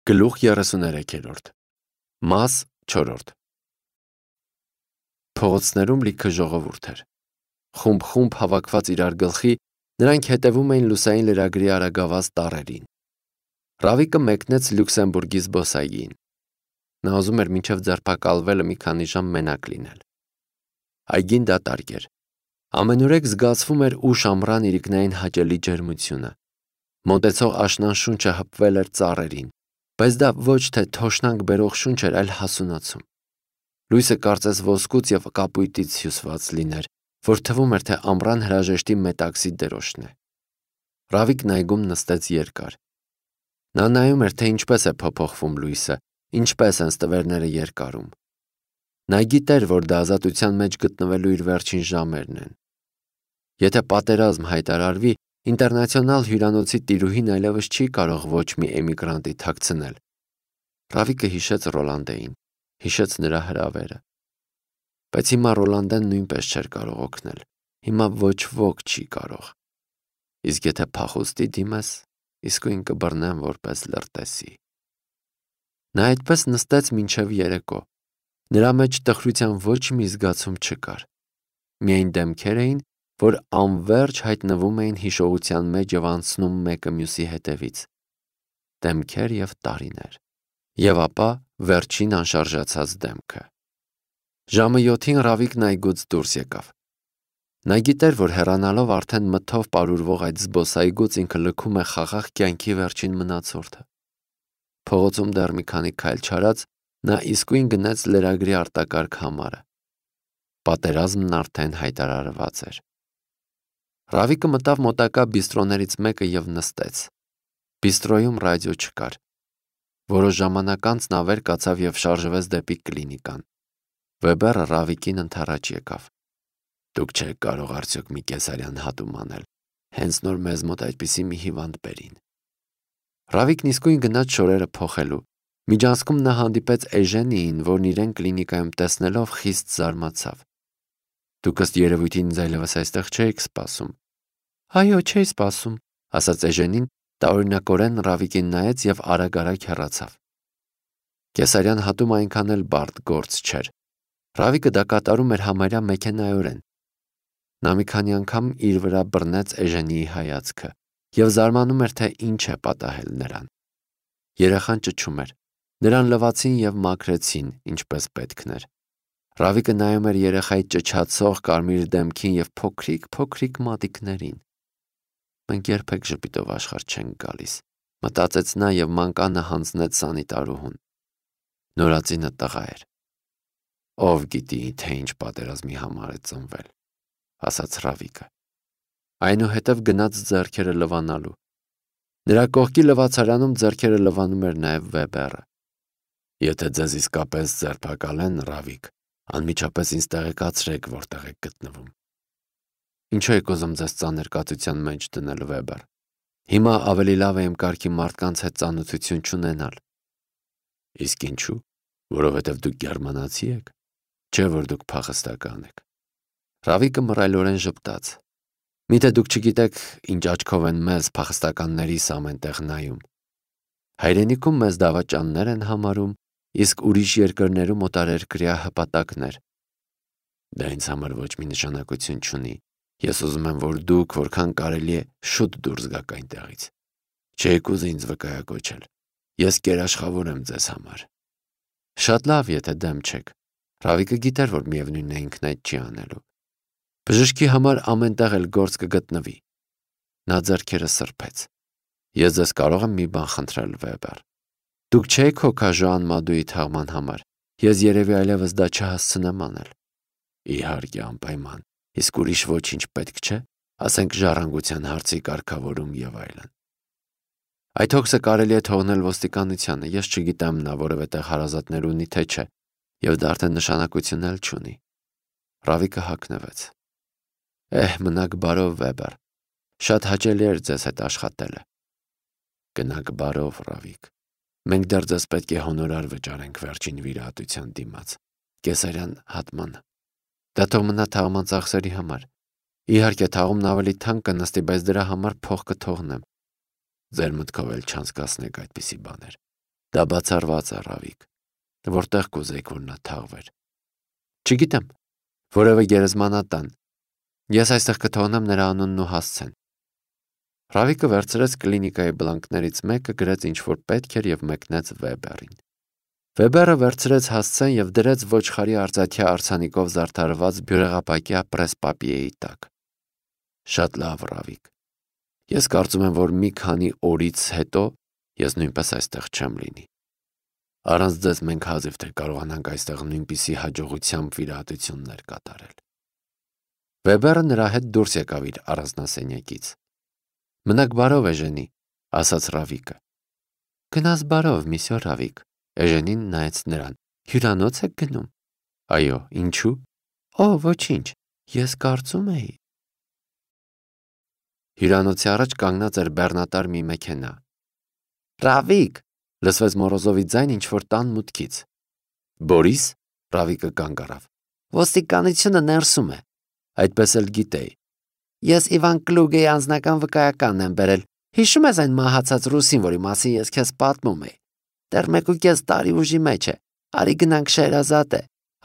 Գլուխ 33-րդ Մաս 4 Փողոցներում լիքը ժողովուրդ էր։ Խումբ հավաքված իրար գլխի, նրանք հետևում էին լուսային լրագրի արագավազ տառերին։ Ռավիկը մեկնեց Լյուքսեմբուրգի զբոսայգին։ Նա ուզում էր մինչև ձերբակալվելը մի քանի ժամ մենակ լինել։ Այգին դատարկ էր։ Ամենուրեք զգացվում էր ուշ ամռան իրիկնային հաճելի ջերմությունը։ Մոտեցող աշնան շունչը հպվել էր ծառերին, բայց դա ոչ թե թոշնանք բերող շունչ էր, այլ հասունացում։ Լույսը կարծես ոսկուց և կապույտից հյուսված լիներ, որ թվում էր, թե ամռան հրաժեշտի մետաքսի դրոշն է։ Ռավիկն այգում նստեց երկար։ Նա նայում էր, թե ինչպես է փոփոխվում լույսը, ինչպես են ստվերները երկարում։ Նա գիտեր, որ դա ազատության մեջ գտնվելու իր վերջին ժամերն են։ Եթե պատերազմ հայտարարվի, ինտերնացիոնալ հյուրանոցի տիրուհին այլևս չի կարող ոչ մի էմիգրանտի թաքցնել։ Ռավիկը հիշեց Ռոլանդեին, հիշեց նրա հրավերը։ Բայց հիմա Ռոլանդեն նույնպես չէր կարող օգնել։ Հիմա ոչ ոք չի կարող։ Իսկ եթե փախուստի դիմես, իսկույն կբռնեն որպես լրտեսի։ Նա այդպես նստեց մինչև երեկո։ Նրա մեջ տխրության ոչ մի զգացում չկար։ Միայն դեմքեր էին, որ անվերջ հայտնվում էին հիշողության մեջ և անցնում մեկը մյուսի հետևից։ Դեմքեր և տարիներ։ Եվ ապա վերջին անշարժացած դեմքը։ Ժամը 7-ին Ռավիկն այգուց դուրս եկավ։ Նա գիտեր, որ հեռանալով արդեն մթով պարուրվող այդ զբոսայգուց ինքը լքում է խաղաղ կյանքի վերջին մնացորդը։ Փողոցում դեռ մի քանի քայլ չարած նա իսկույն գնեց լրագրի արտակարգ համարը։ Պատերազմն արդեն հայտարարված էր։ Ռավիկը մտավ մոտակա բիստրոներից մեկը և նստեց։ Բիստրոյում ռադիո չկար։ Որոշ ժամանակ անց նա վեր կացավ և շարժվեց դեպի կլինիկան։ Վեբերը Ռավիկին ընդառաջ եկավ։ Դուք չեք կարող արդյոք մի կեսարյան հատում անել։ Հենց նոր մեզ մոտ այդպիսի մի հիվանդ բերին։ Ռավիկն իսկույն գնաց շորերը փոխելու։ Միջանցքում նա հանդիպեց Էժենիին, որն իրեն կլինիկայում տեսնելով խիստ զարմացավ։ Դուք ըստ երևույթին ինձ այլևս այստեղ չէիք սպասում։ Այո, չէի սպասում, ասաց Էժենին, տարօրինակորեն Ռավիկին նայեց և արագ հեռացավ։ Կեսարյան հատում այնքան էլ բարդ գործ չէր։ Ռավիկը դա կատարում էր համարյա մեքենայորեն։ Նա մի քանի անգամ իր վրա բռնեց Էժենիի հայացքը և զարմանում էր, թե ինչ է պատահել նրան։ Երեխան ճչում էր։ Նրան լվացին և մաքրեցին, ինչպես պետքն էր։ Ռավիկը նայում էր երեխայի ճչացող կարմիր դեմքին և փոքրիկ մատիկներին։ Մենք երբեք ժպիտով աշխարհ չենք գալիս, մտածեց նա և մանկանը հանձնեց սանիտարուհուն։ Նորածինը տղա էր։ Ով գիտի, թե ինչ պատերազմի համար է ծնվել, ասաց Ռավիկը։ Այնուհետև գնաց ձեռքերը լվանալու։ Նրա կողքի լվացարանում ձեռքերը լվանում էր նաև Վեբերը։ Եթե ձեզ իսկապես ձերբակալեն, Ռավիկ, անմիջապես ինձ տեղեկացրեք, որտեղ եք գտնվում։ Ինչու եք ուզում ձեզ ծանր կացության մեջ դնել, Վեբեր։ Հիմա ավելի լավ է իմ կարգի մարդկանց հետ ծանոթություն չունենալ։ Իսկ ինչու։ Որովհետև դուք գերմանացի եք, չէ՞ որ դուք փախստական եք։ Ռավիկը մռայլորեն ժպտաց։ Միթե դուք չգիտեք, ինչ աչքով են մեզ փախստականներիս ամենտեղ նայում։ Հայրենիքում մեզ դավաճաններ են համարում, իսկ ուրիշ երկրներում օտարերկրյա հպատակներ։ Դա ինձ համար ոչ մի նշանակություն չունի։ Ես ուզում եմ, որ դուք որքան կարելի է շուտ դուրս գաք այնտեղից։ Չէիք ուզի ինձ վկայակոչել։ Ես կերաշխավոր եմ ձեզ համար։ Շատ լավ, եթե դեմ չեք։ Ռավիկը գիտեր, որ միևնույնն է ինքն այդ չի անելու։ Բժշկի համար ամենտեղ էլ գործ կգտնվի։ Նա ձեռքերը սրբեց։ Ես ձեզ կարող եմ մի բան խնդրել, Վեբեր։ Դուք չեք հոգա Ժոան Մադուի թաղման համար։ Ես երևի այլևս դա չհասցնեմ անել։ Իհարկե, անպայման։ Իսկ ուրիշ ոչինչ պետք չէ, ասենք ժառանգության հարցի կարգավորում և այլն։ Այդ հոգսը կարելի է թողնել ոստիկանությանը, ես չգիտեմ նա որևէ տեղ հարազատներ ունի, թե չէ, և դա արդեն նշանակություն էլ չունի։ Ռավիկը հագնվեց։ Մնաք բարով, Վեբեր։ Շատ հաճելի էր ձեզ հետ աշխատելը։ Գնաք բարով, Ռավիկ։ Մենք դեռ ձեզ պետք է հոնորար վճարենք վերջին վիրահատության դիմաց, կեսարյան հատմանը։ Դա թող մնա թաղման ծախսերի համար։ Իհարկե, թաղումն ավելի թանկ կնստի, բայց դրա համար փող կթողնեմ։ Ձեր մտքով էլ չանցկացնեք այդպիսի բաներ։ Դա բացառված է, Ռավիկ, որտեղ կուզեիք, որ նա թաղվեր։ Չգիտեմ, որևէ գերեզմանատան։ Ես այստեղ կթողնեմ նրա անունն ու հասցեն։ Ռավիկը վերցրեց կլինիկայի բլանկներից մեկը, գրեց ինչ որ պետք էր եւ մեկնեց Վեբերին։ Վեբերը վերցրեց հասցեն եւ դրեց ոչխարի արծաթյա արձանիկով զարդարված բյուրեղապակյա պրեսպապիեի տակ։ Շատ լավ, Ռավիկ։ Ես կարծում եմ, որ մի քանի օրից հետո ես նույնպես այստեղ չեմ լինի։ Առանց ձեզ մենք հազիվ թե կարողանանք այստեղ նույնպիսի հաջողությամբ վիրահատություններ կատարել։ Վեբերը նրա հետ դուրս եկավ իր առանձնասենյակից։ Մնաք բարով, Էժենի, ասաց Ռավիկը։ Գնաս բարով, միսյո Ռավիկ, Էժենին նայեց նրան։ Հյուրանոց եք գնում։ Այո, ինչու։ Օ, ոչինչ, ես կարծում էի։ Հյուրանոցի առաջ կանգնած էր բեռնատար մի մեքենա։ Ռավիկ, լսվեց Մորոզովի ձայն ինչ-որ տան մուտքից։ Բորիս, Ռավիկը կանգ առավ։ Ոստիկանությունը ներսում է։ Այդպես էլ գիտեի։ Ես Իվան Կլուգեի անձնական վկայականն եմ բերել։ Հիշում ես այն մահացած ռուսին, որի մասին ես քեզ պատմում էի։ Դեռ 1.5 տարի ուժի մեջ է։ Արի գնանք Շեհրազադե։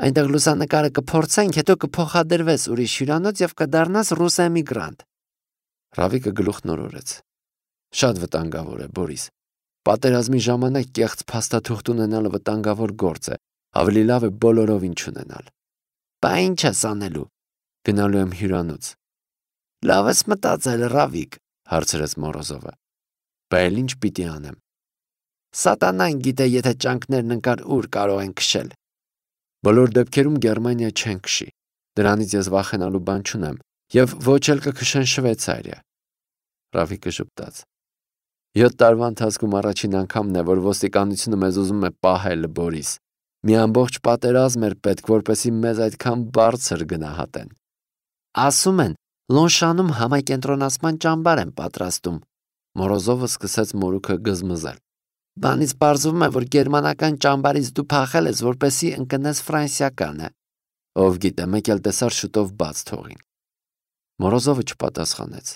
Այնտեղ լուսանկարը կփորձենք, հետո կփոխադրվես ուրիշ հյուրանոց եւ կդառնաս ռուս էմիգրանտ։ Ռավիկը գլուխ նորորեց։ Շատ վտանգավոր է, Բորիս։ Պատերազմի ժամանակ կեղծ փաստաթուղթ ունենալը վտանգավոր գործ է։ Ավելի լավ է բոլորովին չունենալ։ Բա ինչ ես անելու։ Գնալու եմ հյուրանոց։ Լավ ես մտածել, Ռավիկ, հարցրեց Մորոզովը։ Բա էլ ինչ պիտի անեմ։ Սատանան գիտե, եթե ճանկներն ընկար ուր կարող են քշել։ Բոլոր դեպքերում Գերմանիա չեն քշի։ Դրանից ես վախենալու բան չունեմ, եւ ոչ էլ կքշեն Շվեյցարիա։ Ռավիկը ժպտաց։ 7 տարվա ընթացքում առաջին անգամն է, որ ոստիկանությունը մեզ ուզում է պահել, Բորիս։ Մի ամբողջ պատերազմ էր պետք, որպեսզի մեզ այդքան բարձր գնահատեն։ Ասում են, Լոնշանում համակենտրոնացման ճամբար են պատրաստում։ Մորոզովը սկսեց մորուքը գզմզել։ Բանից պարզվում է, որ գերմանական ճամբարից դու փախել ես, որպեսզի ընկնես ֆրանսիականը։ Ով գիտե, մեկ էլ տեսար շուտով բաց թողին։ Մորոզովը չպատասխանեց։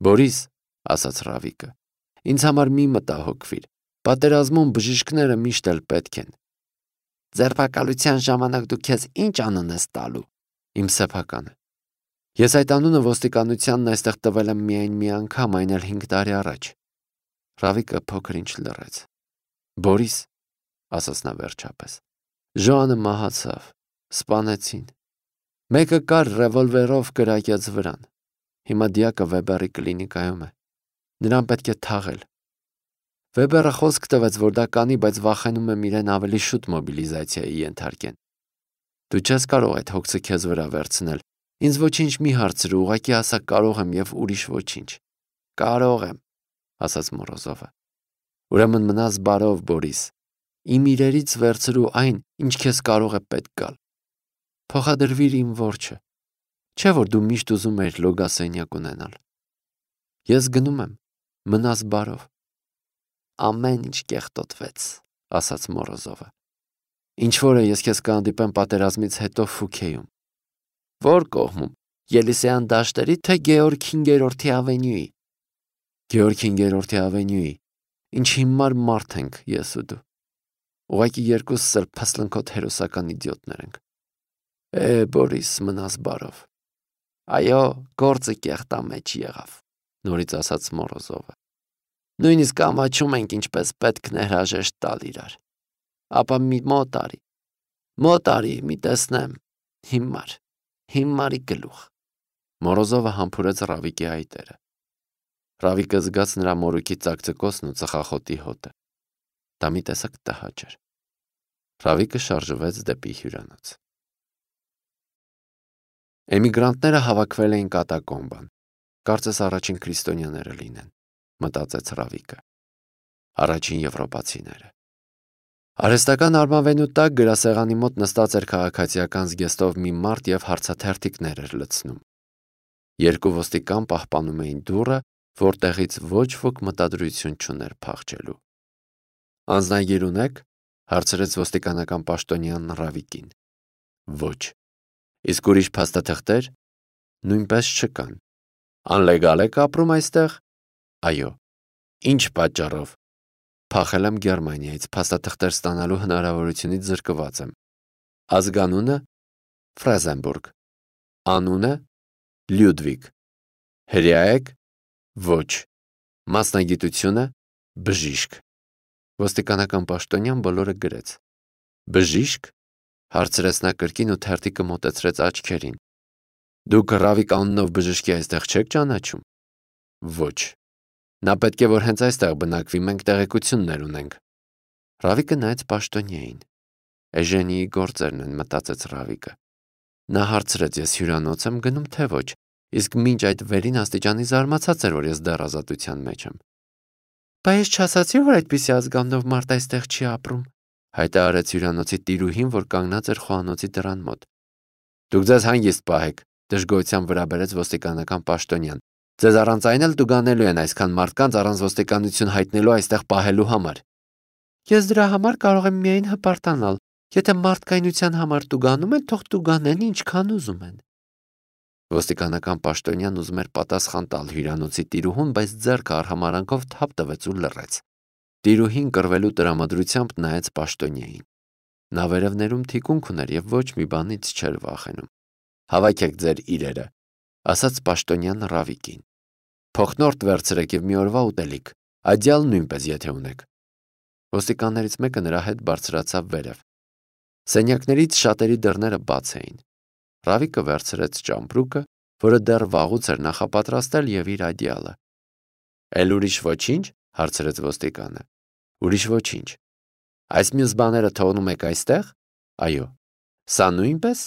Բորիս, ասաց Ռավիկը, ինձ համար մի մտահոգվիր։ Պատերազմում բժիշկները միշտ էլ պետք են։ Ձերբակալության ժամանակ դու քեզ ինչ անուն ես տալու։ Իմ սեփականը։ Ես այդ անունը ոստիկանությանն այստեղ տվել եմ միայն մի անգամ, այն էլ 5 տարի առաջ։ Ռավիկը փոքր ինչ լռեց։ Բորիս, ասաց նա վերջապես, Ժոանը մահացավ, սպանեցին։ Մեկը կար ռևոլվերով կրակեց վրան։ Հիմա դիակը Վեբերի կլինիկայում է։ Նրան պետք է թաղել։ Վեբերը խոսք տվեց, որ դա կանի, բայց վախենում եմ իրեն ավելի շուտ մոբիլիզացիայի ենթարկեն։ Դու չես կարող այդ հոգսը քեզ վրա վերցնել։ Ինձ ոչինչ մի հարցրու, ուղղակի ասա կարող եմ եւ ուրիշ ոչինչ։ Կարող եմ, ասաց Մորոզովը։ Ուրեմն մնաս բարով, Բորիս։ Իմ իրերից վերցրու այն, ինչ քեզ կարող է պետք գալ։ Փոխադրվիր իմ որջը։ Չէ՞ որ դու միշտ ուզում ես լոգասենյակ ունենալ։ Ես գնում եմ, մնաս բարով։ Ամեն ինչ կեղտոտվեց, ասաց Մորոզովը։ Ինչ որ է, ես քեզ կհանդիպեմ պատերազմից հետո Ֆուքեյում։ Որ կողմում, Ելիսեյան դաշտերի, թե Գեորգ 5-րդի ավենյուի։ Գեորգ 5-րդի ավենյուի։ Ինչ հիմար մարդ ենք ես ու դու։ Ուղղակի երկուսս էլ փասլնքոտ հերոսական իդիոտներ ենք։ Բորիս, մնաս բարով։ Այո, գործը կեղտամեջ եղավ, նորից ասաց Մորոզովը։ Նույնիսկ ամաչում ենք ինչպես պետք ներհրաժեշտ տալ իրար։ Ապա մոտ արի, մի տեսնեմ, հիմարի գլուխ։ Մորոզովը համբուրեց Ռավիկի այտերը։ Ռավիկը զգաց նրա մորուքի ծակծկոցն ու ծխախոտի հոտը։ Դա մի տեսակ տհաճ էր։ Ռավիկը շարժվեց դեպի հյուրանոց։ Էմիգրանտները հավաքվել էին կատակոմբան։ Կարծես առաջին քրիստոնյաները լինեն, մտածեց Ռավիկը։ Առաջին եվրոպացիները։ Արհեստական արմավենու տակ գրասեղանի մոտ նստած էր քաղաքացիական զգեստով մի մարդ եւ հարցաթերթիկներ էր լցնում։ Երկու ոստիկան պահպանում էին դուռը, որտեղից ոչ ոք մտադրություն չուներ փախչելու։ Անձնագիր ունեք, հարցրեց ոստիկանական պաշտոնյանն Ռավիկին։ Ոչ։ Իսկ ուրիշ փաստաթղթեր նույնպես չկան։ Անլեգալ եք ապրում այստեղ։ Այո։ Ինչ պատճառով։ Փախել եմ Գերմանիայից, փաստաթղթեր ստանալու հնարավորությունից զրկված եմ։ Ազգանունը Ֆրեզենբուրգ, անունը Լյուդվիգ, հրեա եք, ոչ, մասնագիտությունը բժիշկ։ Ոստիկանական պաշտոնյան բոլորը գրեց։ Բժիշկ, հարցրեց նա կրկին ու թերթիկը մոտեցրեց աչքերին։ Դուք Ռավիկ անունով բժշկի այստեղ չեք ճանաչում։ Ոչ։ Նա պետք է որ հենց այստեղ բնակվի, մենք տեղեկություններ ունենք։ Ռավիկը նայեց պաշտոնյային։ Էժենիի գործերն են, մտածեց Ռավիկը։ Նա հարցրեց, ես հյուրանոց եմ գնում, թե ոչ, իսկ մինչ այդ վերին աստիճանի զարմացած էր, որ ես դեռ ազատության մեջ եմ։ Բա ես չասացի, որ այդպիսի ազգանունով մարդ այստեղ չի ապրում, հայտարարեց հյուրանոցի տիրուհին, որ կանգնած էր խոհանոցի դռան մոտ։ Դուք ձեզ հանգիստ պահեք, դժգոհությամբ վրա բերեց ոստիկանական պաշտոնյան։ Ձեզ առանց այն էլ տուգանելու են այսքան մարդկանց առանց ոստիկանություն հայտնելու այստեղ պահելու համար։ Ես դրա համար կարող եմ միայն հպարտանալ։ Եթե մարդկայնության համար տուգանում են, թող տուգանեն ինչքան ուզում են։ Ոստիկանական պաշտոնյան ուզում էր պատասխան տալ հյուրանոցի տիրուհուն, բայց ձեռքը արհամարանքով թափ տվեց ու լռեց։ Տիրուհին կռվելու տրամադրությամբ նայեց պաշտոնյային։ Նա վերևներում թիկունք ուներ եւ ոչ մի բանից չէր վախենում։ Հավաքեք ձեր իրերը, ասաց պաշտոնյան Ռավիկին։ Փոխնորդ վերցրեք եւ մի օրվա ուտելիք, ադյալ նույնպես եթե ունեք։ Ոստիկաններից մեկը նրա հետ բարձրացավ վերև։ Սենյակներից շատերի դռները բաց էին։ Ռավիկը վերցրեց ճամպրուկը, որը դեռ վաղուց էր նախապատրաստել եւ իր ադյալը։ Էլ ուրիշ ոչինչ, հարցրեց ոստիկանը։ Ուրիշ ոչինչ։ Այս մյուս բաները թողնում եք այստեղ։ Այո։ Սա նույնպես։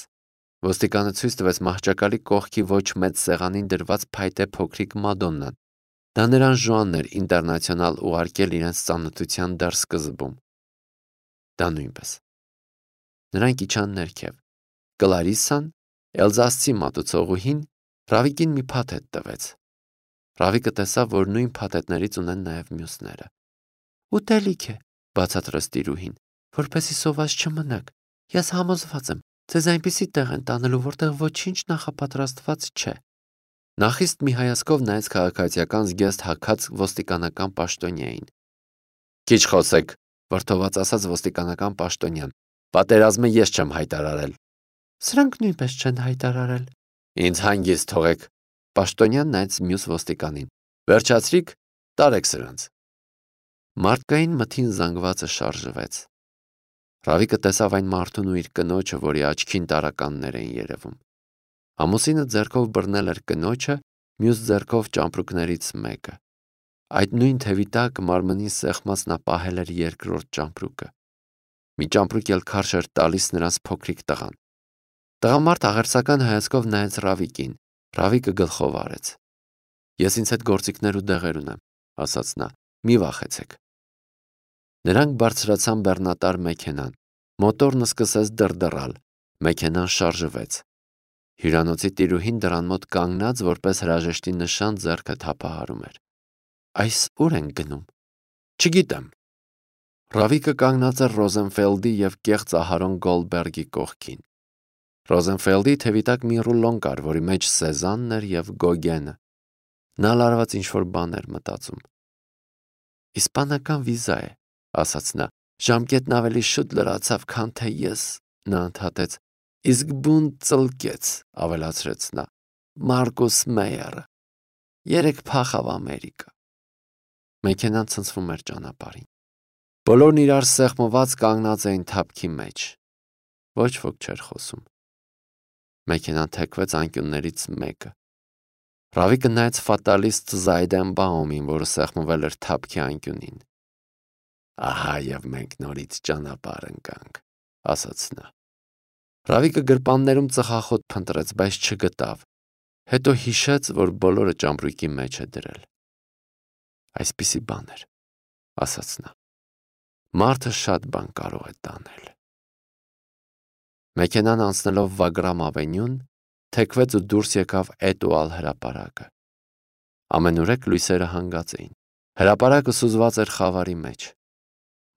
Ոստիկանը ցույց տվեց մահճակալի կողքի ոչ մեծ սեղանին դրված փայտե փոքրիկ մադոննան։ Դա նրան Ժոանն էր ինտերնացիոնալ ուղարկել իրենց ծանոթության դեռ սկզբում։ Դա նույնպես։ Նրանք իջան ներքև։ Կլարիսան, Էլզասցի մատուցողուհին, Ռավիկին մի փաթեթ տվեց։ Ռավիկը տեսավ, որ նույն փաթեթներից ունեն նաև մյուսները։ Ուտելիք է, բացատրեց տիրուհին, որպեսզի սոված չմնաք։ Ես համոզված եմ, ձեզ այնպիսի տեղ են տանելու, որտեղ ոչինչ նախապատրաստված չէ։ Նա խիստ մի հայացքով նայեց քաղաքացիական զգեստ հագած ոստիկանական պաշտոնյային։ Քիչ խոսեք, վրդոված ասաց ոստիկանական պաշտոնյան։ Պատերազմը ես չեմ հայտարարել։ Սրանք նույնպես չեն հայտարարել։ Ինձ հանգիստ թողեք։ Պաշտոնյան նայեց մյուս ոստիկանին։ Վերջացրիք, տարեք սրանց։ Մարդկային մթին զանգվածը շարժվեց։ Ռավիկը տեսավ այն մարդուն ու իր կնոջը, որի աչքին տարականներ էին երևում։ Ամուսինը ձեռքով բռնել էր կնոջը, մյուս ձեռքով ճամպրուկներից մեկը։ Այդ նույն թևի տակ մարմնին սեղմած նա պահել էր երկրորդ ճամպրուկը։ Մի ճամպրուկ էլ քարշ էր տալիս նրանց փոքրիկ տղան։ Տղամարդ աղերսական հայացքով նայեց Ռավիկին։ Ռավիկը գլխով արեց։ Ես ինձ հետ գործիքներ ու դեղեր ունեմ, ասաց նա, մի վախեցեք։ Նրանք բարձրացան բեռնատար մեքենան։ Մոտորն սկսեց դրդռալ։ Մեքենան շարժվեց։ Հյուրանոցի տիրուհին դռան մոտ կանգնած, որպես հրաժեշտի նշան ձեռքը թափահարում էր։ Այս ուր են գնում։ Չգիտեմ։ Ռավիկը կանգնած էր Ռոզենֆելդի եւ կեղծ Ահարոն Գոլդբերգի կողքին։ Ռոզենֆելդի թևի տակ մի ռուլոն կար, որի մեջ Սեզանն էր եւ Գոգենը։ Նա լարված ինչ-որ բան էր մտածում։ Իսպանական վիզա է, ասաց նա։ Ժամկետն ավելի շուտ լրացավ, քան թե ես, նա ընդհատեց։ Իսկ բուն ծլկեց, ավելացրեց նա։ Մարկուս Մեյերը։ Երեք փախավ Ամերիկա։ Մեքենան ցնցվում էր ճանապարհին։ Բոլորն իրար սեղմված կանգնած էին թափքի մեջ։ Ոչ ոք չէր խոսում։ Մեքենան թեքվեց անկյուններից մեկը։ Ռավիկը նայեց ֆատալիստ Զայդենբաումին, որը սեղմվել էր թափքի անկյունին։ Ահա եւ մենք նորից ճանապարհ ընկանք, ասաց նա։ Ռավիկը գրպաններում ծխախոտ փնտրեց, բայց չգտավ։ Հետո հիշեց, որ բոլորը ճամպրուկի մեջ է դրել։ Այսպիսի բան էր, ասաց նա։ Մարդը շատ բան կարող է տանել։ Մեքենան անցնելով Վագրամ ավենյուն, թեքվեց ու դուրս եկավ Էտուալ հրապարակը։ Ամենուրեք լույսերը հանգած էին։ Հրապարակը սուզված էր խավարի մեջ։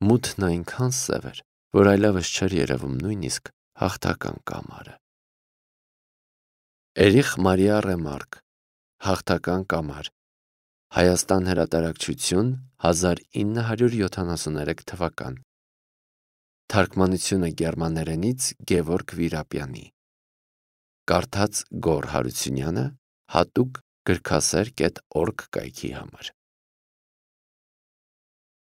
Մութն այնքան սև էր, որ այլևս չէր երևում նույնիսկ հաղթական կամարը։ Էրիխ Մարիա Ռեմարկ, Հաղթական կամար, Հայաստան հրատարակչություն 1973 թվական Թարգմանությունը գերմաներենից Գևորգ Վիրապյանի Կարդաց Գոռ Հարությունյանը հատուկ գրքասեր.org կայքի համար